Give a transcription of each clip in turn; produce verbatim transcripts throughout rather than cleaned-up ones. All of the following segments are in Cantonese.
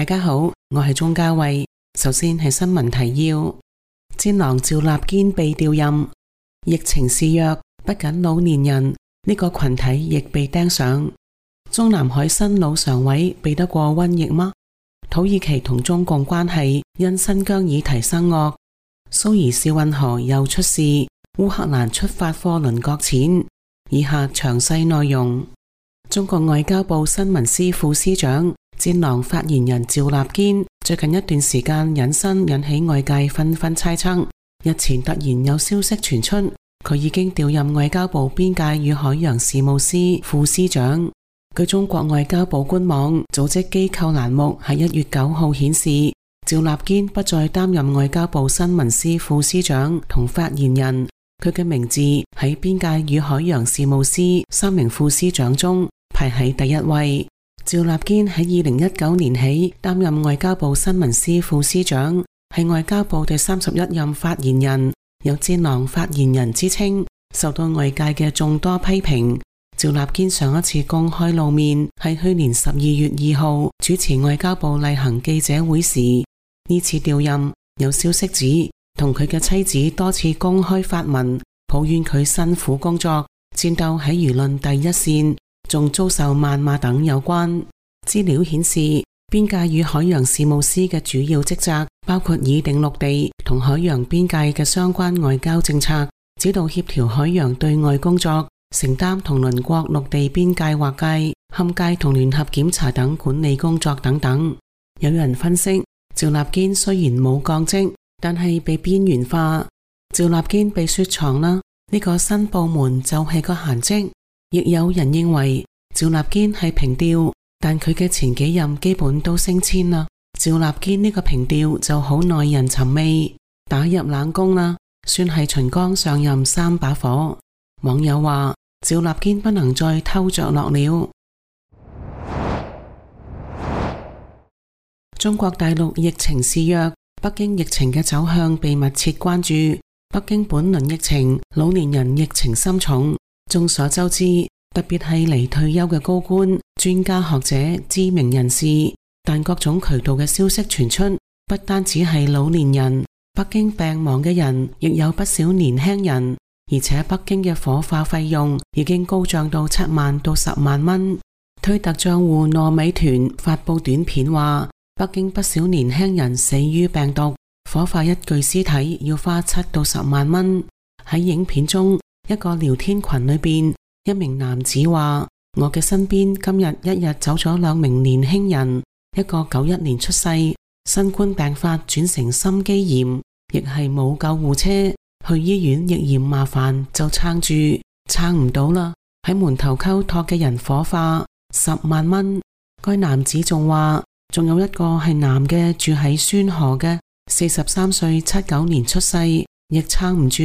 大家好，我係鍾嘉慧。首先係新聞提要：戰狼趙立堅被調任，疫情肆虐，不僅老年人呢個群體亦被盯上。中南海新老常委比得過瘟疫嗎？土耳其同中共關係因新疆議題生惡。蘇伊士運河又出事，烏克蘭出發貨輪擱淺。以下詳細內容。中國外交部新聞司副司長、戰狼發言人趙立堅最近一段時間隱身，引起外界紛紛猜測。日前突然有消息傳出，佢已經調任外交部邊界與海洋事務司副司長。據中國外交部官網組織機構欄目喺一月九號顯示，趙立堅不再擔任外交部新聞司副司長同發言人，佢嘅名字喺邊界與海洋事務司三名副司長中排喺第一位。趙立堅喺二零一九年起擔任外交部新聞司副司長，係外交部第三十一任發言人，有戰狼發言人之稱，受到外界嘅眾多批評。趙立堅上一次公開露面係去年十二月二號主持外交部例行記者會時，呢次調任有消息指同佢嘅妻子多次公開發文抱怨佢辛苦工作，戰鬥喺輿論第一線，仲遭受謾罵等有關。資料顯示，邊界與海洋事務司嘅主要職責包括擬定陸地同海洋邊界嘅相關外交政策，指導協調海洋對外工作，承擔同鄰國陸地邊界劃界、勘界同聯合檢查等管理工作等等。有人分析，趙立堅雖然冇降職，但係被邊緣化。趙立堅被雪藏啦，呢個新部門就係個閒職。亦有人認為趙立堅係平調，但佢嘅前幾任基本都升遷啦。趙立堅呢個平調就好耐人尋味，打入冷宮啦，算係秦剛上任三把火。網友話趙立堅不能再偷着落了。中國大陸疫情肆虐，北京疫情嘅走向被密切關注。北京本輪疫情，老年人疫情深重。眾所周知，特別係離退休嘅高官、專家學者、知名人士，但各種渠道嘅消息傳出，不單只係老年人，北京病亡嘅人亦有不少年輕人。而且北京嘅火化費用已經高漲到七萬到十萬蚊。推特賬戶糯米團發布短片話，北京不少年輕人死於病毒，火化一具屍體要花七到十萬蚊。喺影片中，一個聊天群裏邊，一名男子話：我嘅身邊今日一日走咗兩名年輕人，一個九一年出世，新冠病發轉成心肌炎，亦係冇救護車。去醫院亦嫌麻煩，就撐住，撐唔到啦。喺門頭溝託嘅人火化，十萬蚊。該男子仲話，仲有一個係男嘅，住喺宣河嘅，四十三歲，七九年出世，亦撐唔住，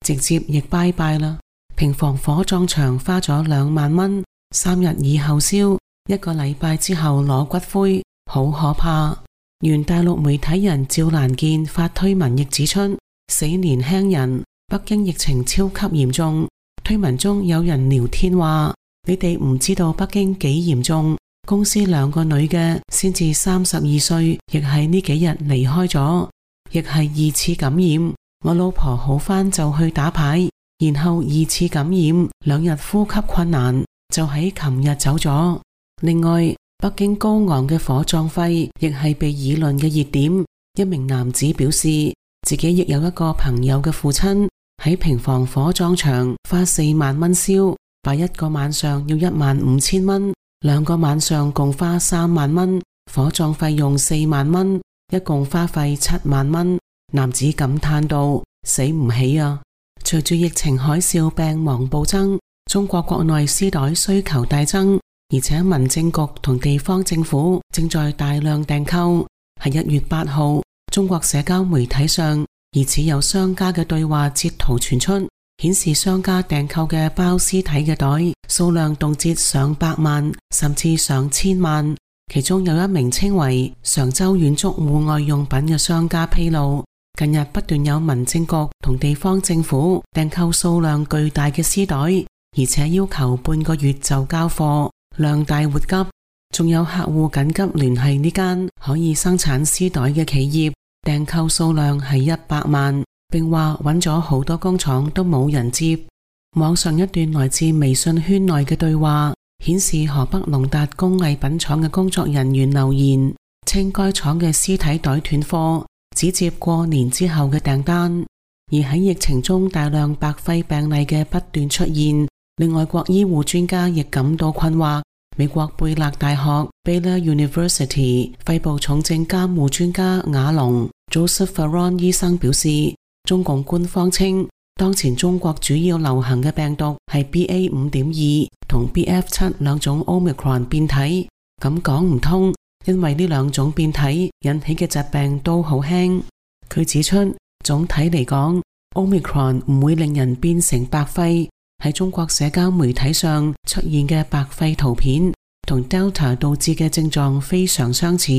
直接亦拜拜啦。平房火葬場花咗兩萬蚊，三日以後燒，一個禮拜之後攞骨灰，好可怕。原大陸媒體人趙蘭健發推文亦指出，死年輕人，北京疫情超級嚴重。推文中有人聊天話，你哋唔知道北京幾嚴重，公司兩個女嘅先至三十二歲，亦係呢幾日離開咗，亦係二次感染。我老婆好返就去打牌，然後二次感染，兩日呼吸困難，就喺琴日走咗。另外，北京高昂嘅火葬費亦係被議論嘅熱點。一名男子表示，自己亦有一個朋友嘅父親喺平房火葬場花四萬蚊燒，擺一個晚上要一萬五千蚊，兩個晚上共花三萬蚊，火葬費用四萬蚊，一共花費七萬蚊。男子感嘆道：死唔起啊！隨住疫情海嘯病亡暴增，中國國內屍袋需求大增，而且民政局同地方政府正在大量訂購。喺一月八號，中國社交媒體上疑似有商家嘅對話截圖傳出，顯示商家訂購嘅包屍體嘅袋數量動輒上百萬甚至上千萬。其中有一名稱為常州遠足戶外用品嘅商家披露，近日不斷有民政局同地方政府訂購數量巨大嘅屍袋，而且要求半個月就交貨，量大活急。仲有客戶緊急聯繫呢間可以生產絲帶嘅企業，訂購數量係一百萬，並話揾咗好多工廠都冇人接。網上一段來自微信圈內嘅對話顯示，河北農達工藝品廠嘅工作人員留言，稱該廠嘅絲體袋斷貨，只接過年之後嘅訂單。而喺疫情中大量白肺病例嘅不斷出現，令外國醫護專家亦感到困惑。美國貝勒大學 Baylor University 肺部重症監護專家瓦隆 Joseph Farron 醫生表示，中共官方稱當前中國主要流行嘅病毒係 B A 五點二 同 B F 七兩種 Omicron 變體，咁講唔通，因為呢兩種變體引起嘅疾病都好輕。佢指出，總體嚟講 Omicron 唔會令人變成白肺。喺中國社交媒體上出現嘅白肺圖片同 Delta 導致嘅症狀非常相似。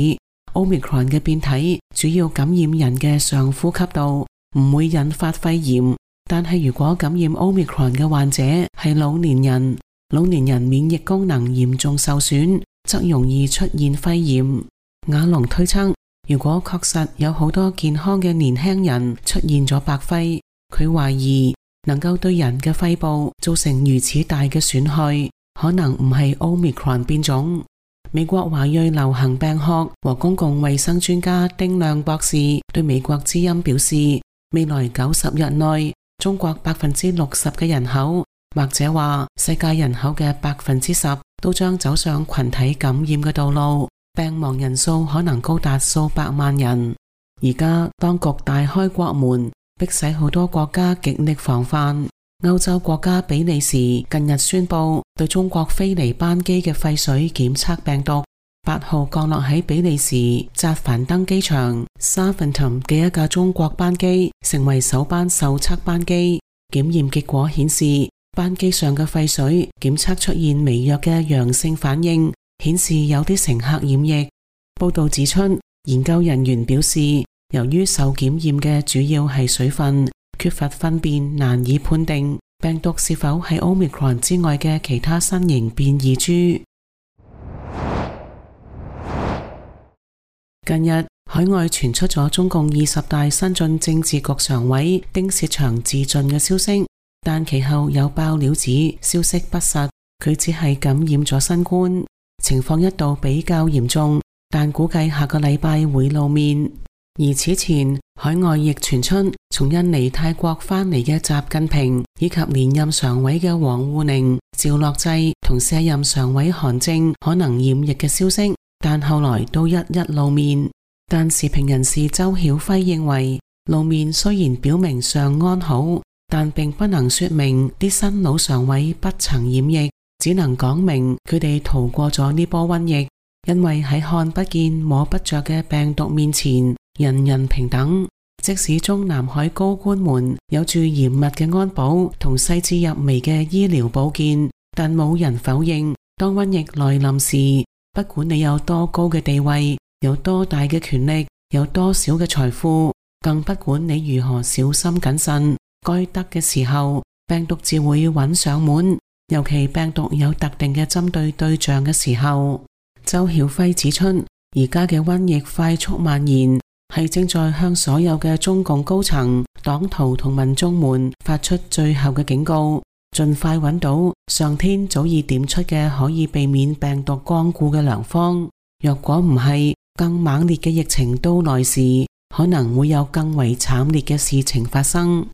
Omicron 嘅變體主要感染人嘅上呼吸道，唔會引發肺炎。但係如果感染 Omicron 嘅患者係老年人，老年人免疫功能嚴重受損，則容易出現肺炎。瓦隆推測，如果確實有好多健康嘅年輕人出現咗白肺，佢懷疑能夠對人嘅肺部造成如此大嘅損害，可能唔係 Omicron 變種。美國華裔流行病學和公共衛生專家丁亮博士對美國之音表示，未來九十日內，中國百分之六十嘅人口，或者話世界人口嘅百分之十，都將走上群體感染嘅道路，病亡人數可能高達數百萬人。而家當局大開國門，迫使好多國家極力防範。歐洲國家比利時近日宣布對中國飛嚟班機嘅廢水檢測病毒。八號降落喺比利時扎凡登機場 Zaventem 嘅一架中國班機，成為首班受測班機。檢驗結果顯示，班機上嘅廢水檢測出現微弱嘅陽性反應，顯示有啲乘客染疫。報道指出，研究人員表示，由於受檢驗嘅主要係水分，缺乏糞便，難以判定病毒是否係 Omicron 之外嘅其他新型變異株。近日，海外傳出咗中共二十大新晉政治局常委丁薛祥自盡嘅消息，但其後有爆料指消息不實，佢只係感染咗新冠，情況一度比較嚴重，但估計下個禮拜會露面。而此前，海外亦傳出從印尼、泰國返嚟嘅習近平，以及連任常委嘅王滬寧、趙樂際同卸任常委韓正可能染疫嘅消息，但後來都一一露面。但時評人士周曉輝認為，露面雖然表明尚安好，但並不能說明啲新老常委不曾染疫，只能講明佢哋逃過咗呢波瘟疫。因為喺看不見摸不着嘅病毒面前，人人平等。即使中南海高官們有住嚴密嘅安保同細緻入微嘅醫療保健，但冇人否認，當瘟疫來臨時，不管你有多高嘅地位，有多大嘅權力，有多少嘅財富，更不管你如何小心謹慎，該得嘅時候，病毒自會揾上門，尤其病毒有特定嘅針對對象嘅時候。周曉輝指出，而家嘅瘟疫快速蔓延，係正在向所有嘅中共高層、黨徒同民眾們發出最後嘅警告，盡快揾到上天早已點出嘅可以避免病毒光顧嘅良方。若果唔係，更猛烈嘅疫情到來時，可能會有更為慘烈嘅事情發生。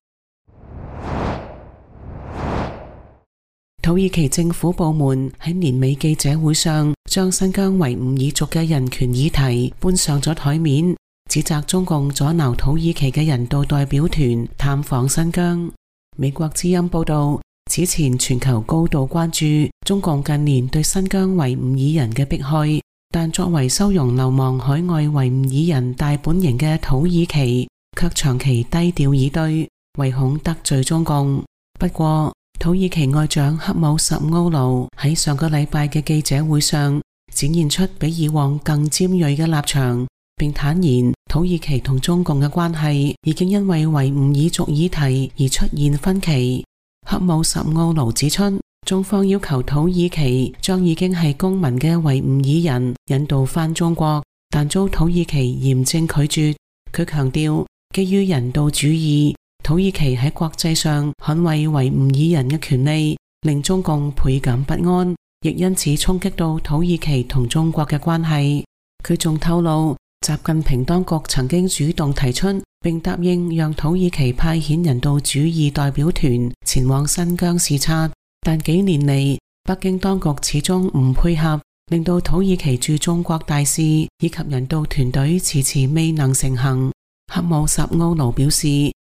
土耳其政府部門喺年尾記者會上，將新疆維吾爾族嘅人權議題搬上咗台面，指責中共阻撓土耳其嘅人道代表團探訪新疆。美國之音報道，此前全球高度關注中共近年對新疆維吾爾人嘅迫害，但作為收容流亡海外維吾爾人大本營嘅土耳其，卻長期低調以對，唯恐得罪中共。不過，土耳其外長克武什奧盧喺上個禮拜嘅記者會上展現出比以往更尖銳嘅立場，並坦言土耳其同中共嘅關係已經因為維吾爾族議題而出現分歧。克武什奧盧指出，中方要求土耳其將已經係公民嘅維吾爾人引渡返中國，但遭土耳其嚴正拒絕。佢強調，基於人道主義，土耳其喺國際上捍衛維吾爾人嘅權利，令中共倍感不安，亦因此衝擊到土耳其同中國嘅關係。佢仲透露，習近平當局曾經主動提出並答應讓土耳其派遣人道主義代表團前往新疆視察，但幾年嚟北京當局始終唔配合，令到土耳其駐中國大使以及人道團隊遲遲未能成行。恰武什奧盧表示，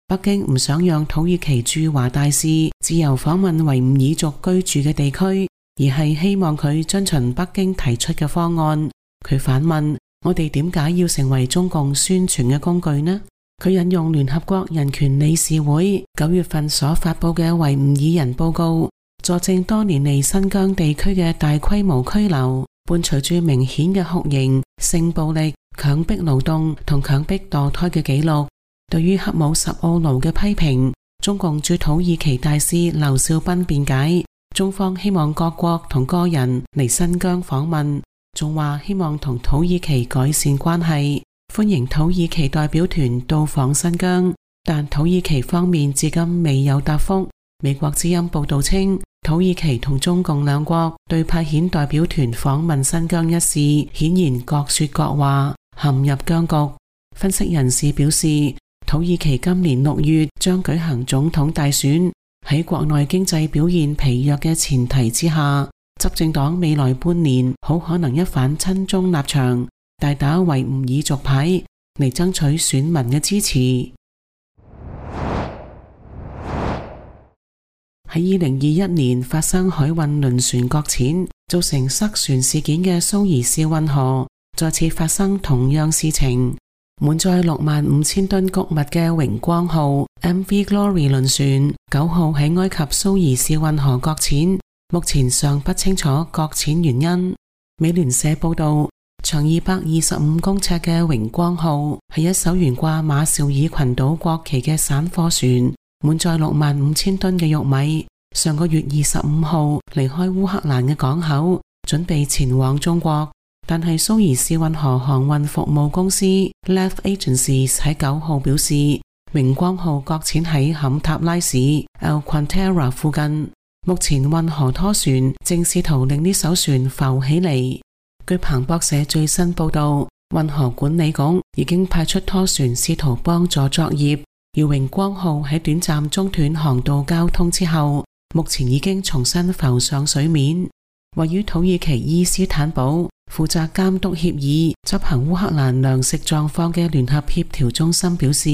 北京唔想讓土耳其駐華大使自由訪問維吾爾族居住嘅地區，而係希望佢遵循北京提出嘅方案。佢反問，我哋點解要成為中共宣傳嘅工具呢？佢引用聯合國人權理事會九月份所發佈嘅維吾爾人報告，佐證多年嚟新疆地區嘅大規模拘留，伴隨住明顯嘅酷刑、性暴力、強迫勞動同強迫墮胎嘅記錄。對於恰武什奧盧嘅批評，中共駐土耳其大使劉少斌辯解，中方希望各國同個人嚟新疆訪問，仲話希望同土耳其改善關係，歡迎土耳其代表團到訪新疆，但土耳其方面至今未有答覆。美國之音報道稱，土耳其同中共兩國對派遣代表團訪問新疆一事顯然各說各話，陷入僵局。分析人士表示，土耳其今年六月將舉行總統大選，喺國內經濟表現疲弱嘅前提之下，執政黨未來半年好可能一反親中立場，大打維吾爾族牌嚟爭取選民嘅支持。喺二零二一年發生海運輪船擱淺，造成塞船事件嘅蘇伊士運河再次發生同樣事情。滿載六萬五千噸穀物嘅榮光號 M V Glory 輪船九號喺埃及蘇伊士運河擱淺，目前尚不清楚擱淺原因。美聯社報道，長二百二十五公尺嘅榮光號係一艘懸掛馬紹爾群島國旗嘅散貨船，滿載六萬五千噸嘅玉米，上個月二十五號離開烏克蘭嘅港口，準備前往中國。但係蘇伊士運河航運服務公司 Lev Agencies 喺九號表示，榮光號擱淺喺坎塔拉市 El Quantera 附近，目前運河拖船正試圖令呢艘船浮起嚟。據彭博社最新報道，運河管理局已經派出拖船試圖幫助作業，而榮光號喺短暫中斷航道交通之後，目前已經重新浮上水面。位於土耳其伊斯坦堡負責監督協議、執行烏克蘭糧食狀況嘅聯合協調中心表示，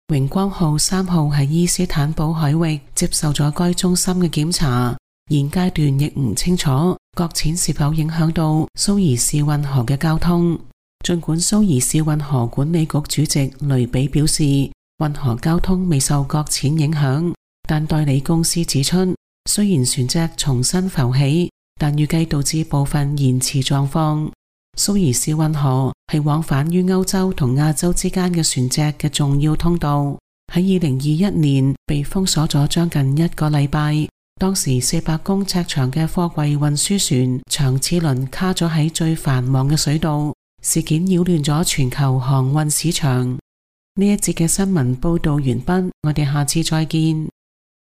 榮光號三號喺伊斯坦堡海域接受咗該中心嘅檢查，現階段亦唔清楚擱淺是否影響到蘇伊士運河嘅交通。儘管蘇伊士運河管理局主席雷比表示，運河交通未受擱淺影響，但代理公司指出，雖然船隻重新浮起，但預計導致部分延遲狀況。蘇伊士運河係往返於歐洲同亞洲之間嘅船隻嘅重要通道，喺二零二一年被封鎖咗將近一個禮拜。當時四百公尺長嘅貨櫃運輸船長賜輪卡咗喺最繁忙嘅水道，事件擾亂咗全球航運市場。呢一節嘅新聞報道完畢，我哋下次再見。